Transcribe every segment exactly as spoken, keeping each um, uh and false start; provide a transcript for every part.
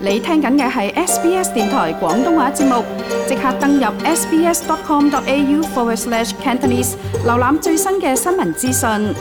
你聽緊嘅係 S B S 電台廣東話節目，即刻登入 sbs.com.au forward slash Cantonese， 瀏覽最新嘅新聞資訊。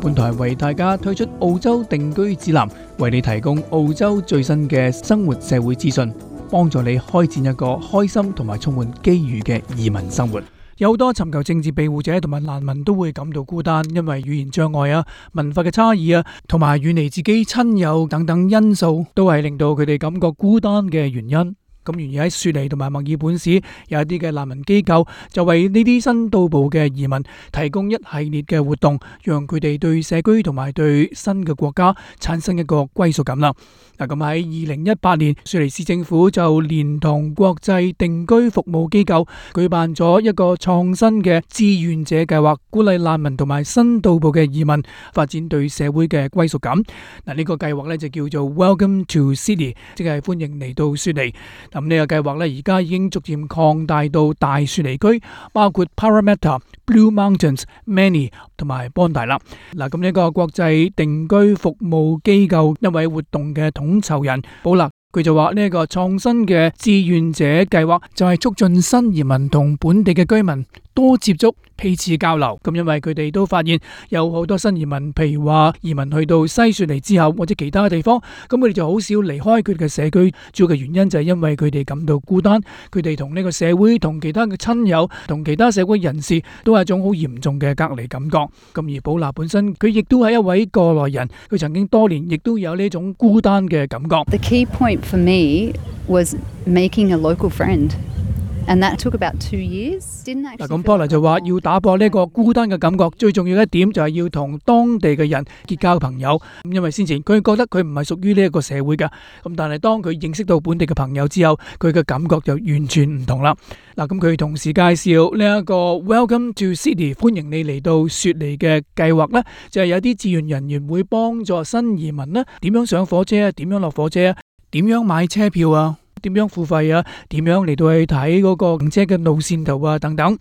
本台為大家推出澳洲定居指南，為你提供澳洲最新嘅生活社會資訊，幫助你開展一個開心同埋充滿機遇嘅移民生活。有好多尋求政治庇護者同埋難民都會感到孤單，因為語言障礙啊、文化嘅差異啊，同埋遠離自己親友等等因素，都係令到佢哋感覺孤單嘅原因。咁而喺雪梨同埋墨爾本市有一啲嘅難民機構，就為呢啲新到埗嘅移民提供一系列嘅活動，讓佢哋對社區同埋對新嘅國家產生一個歸屬感啦。嗱，咁喺二零一八年，雪梨市政府就連同國際定居服務機構舉辦咗一個創新嘅志願者計劃，鼓勵難民同埋新到埗嘅移民發展對社會嘅歸屬感。嗱，呢個計劃咧就叫做 Welcome to Sydney， 即係歡迎嚟到雪梨。咁呢個計劃咧而家已經逐漸擴大到大雪梨區，包括 Parramatta、Blue Mountains、Manly 同埋 Bondi 啦。嗱，咁呢個國際定居服務機構一位活動嘅統籌人保勒，佢就話呢一個創新嘅志願者計劃就係促進新移民同本地嘅居民多接觸、彼此交流。咁因為佢哋都發現有好多新移民，譬如話移民去到西雪梨之後或者其他嘅地方，咁佢哋就好少離開佢哋嘅社區。主要嘅原因就係因為佢哋感到孤單，佢哋同呢個社會、同其他嘅親友、同其他社會人士都係一種好嚴重嘅隔離感覺。咁而保拿本身佢亦都係一位過來人，佢曾經多年亦都有呢種孤單嘅感覺。The key point for me was making a local friend.And that took about two years. 嗱，咁Paula就話要打破呢個孤單嘅感覺，最重要一點就係要同當地嘅人結交朋友。咁因為先前佢覺得佢唔係屬於呢一個社會㗎，咁但係當佢認識到本地嘅朋友之後，佢嘅感覺就完全唔同啦。嗱，咁佢同時介紹呢一個 Welcome to Sydney， 歡迎你嚟到雪梨嘅計劃呢，就係有啲志願人員會幫助新移民呢點樣上火車啊，點樣落火車啊，點樣買車票啊，點樣付費啊？點樣嚟到去睇嗰個行車嘅路線圖啊？等等。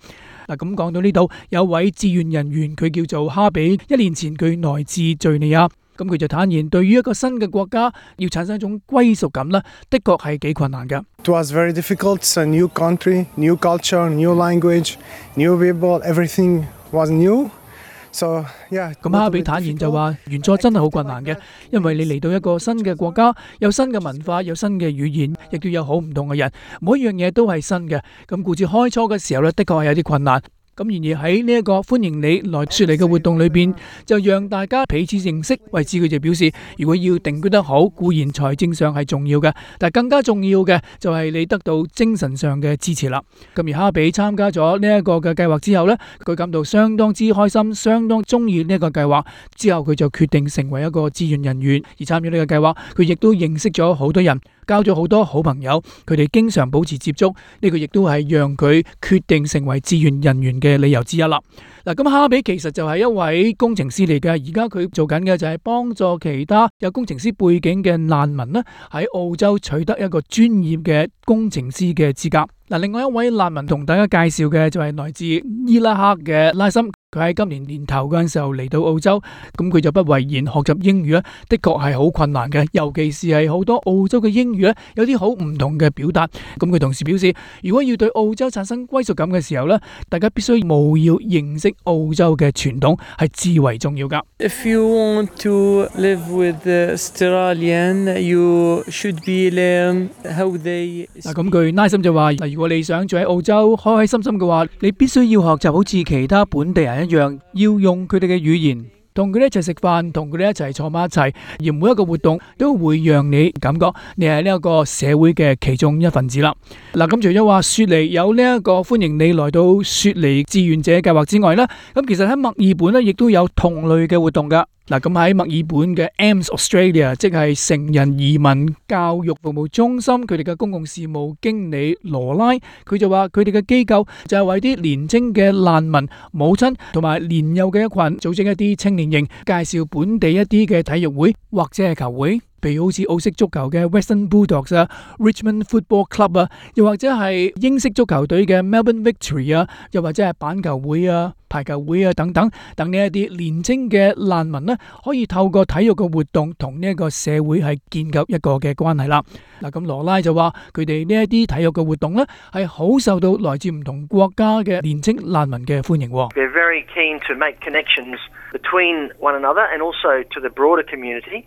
嗱，咁講到呢度，有位志願人員佢叫做哈比，一年前佢來自敘利亞，咁佢就坦言，對於一個新嘅國家要產生一種歸屬感咧，的確係幾困難㗎。It was very difficult. It's a new country, new culture, new language, new people. Everything was new.So, yeah, 咁哈比坦言就話，原作真係好困難嘅，因為你嚟到一個新嘅國家，有新嘅文化，有新嘅語言，亦都有好唔同嘅人，每一樣嘢都係新嘅。咁故此開初嘅時候咧，的確係有啲困難。咁然而喺呢一個歡迎你來雪梨嘅活動裏邊，就讓大家彼此認識。為此佢就表示，如果要定居得好，固然財政上係重要嘅，但係更加重要嘅就係你得到精神上嘅支持啦。咁而哈比參加咗呢一個嘅計劃之後呢，佢感到相當之開心，相當中意呢一個計劃。之後佢就決定成為一個志願人員，而參與呢個計劃，佢亦都認識咗好多人，交咗好多好朋友，佢哋經常保持接觸，呢個亦都係讓佢決定成為志願人員嘅理由之一啦。嗱，咁哈比其實就係一位工程師嚟嘅，而家佢做緊嘅就係幫助其他有工程師背景嘅難民咧，喺澳洲取得一個專業嘅工程師嘅資格。嗱，另外一位難民同大家介紹嘅就係來自伊拉克嘅拉森。佢喺今年年頭嗰陣時候嚟到澳洲，咁佢就不諱言學習英語咧，的確係好困難嘅，尤其是係好多澳洲嘅英語咧，有啲好唔同嘅表達。咁佢同時表示，如果要對澳洲產生歸屬感嘅時候咧，大家必須務要認識澳洲嘅傳統，係至為重要㗎。If you want to live with the Australian, you should be learn how they. 嗱，咁佢拉森就話，嗱，如果你想住喺澳洲開開心心嘅話，你必須要學習好似其他本地人一樣，要用佢哋嘅語言，同佢哋一齊食飯，同佢哋一齊坐埋一齊，而每一個活動都會讓你感覺你係呢一個社會嘅其中一份子啦。嗱，咁除咗話雪梨有呢一個歡迎你來到雪梨志願者計劃之外呢，咁其實喺墨爾本呢亦都有同類嘅活動㗎。嗱，咁喺墨爾本嘅 A M S Australia， 即係成人移民教育服務中心，佢哋嘅公共事務經理羅拉，佢就話佢哋嘅機構就係為啲年青嘅難民母親同埋年幼嘅一群組織一啲青年營，介紹本地一啲嘅體育會或者係球會。譬如好似澳式足球嘅 Western Bulldogs 啊、Richmond Football Club 啊，又或者係英式足球隊嘅 Melbourne Victory 啊，又或者係板球會啊、排球會啊等等等呢一啲年青嘅難民呢，可以透過體育嘅活動同呢一個社會係建立一個嘅關係啦。嗱，咁羅拉就話佢哋呢一啲體育嘅活動呢，係好受到來自唔同國家嘅年青難民嘅歡迎。They're very keen to make connections between one another and also to the broader community.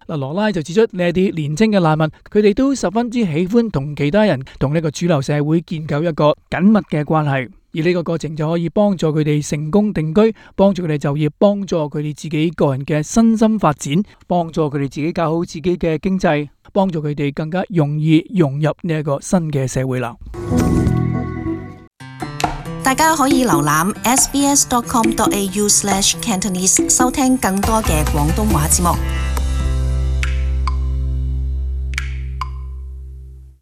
嗱，羅拉就指出呢一啲年青嘅難民，佢哋都十分之喜歡同其他人同呢個主流社會建構一個緊密嘅關係。而呢個過程就可以幫助佢哋成功定居，幫助佢哋就業，幫助佢哋自己個人嘅身心發展，幫助佢哋自己搞好自己嘅經濟，幫助佢哋更加容易融入呢一個新嘅社會啦。大家可以瀏覽 s b s dot com dot a u slash Cantonese 收聽更多嘅廣東話節目。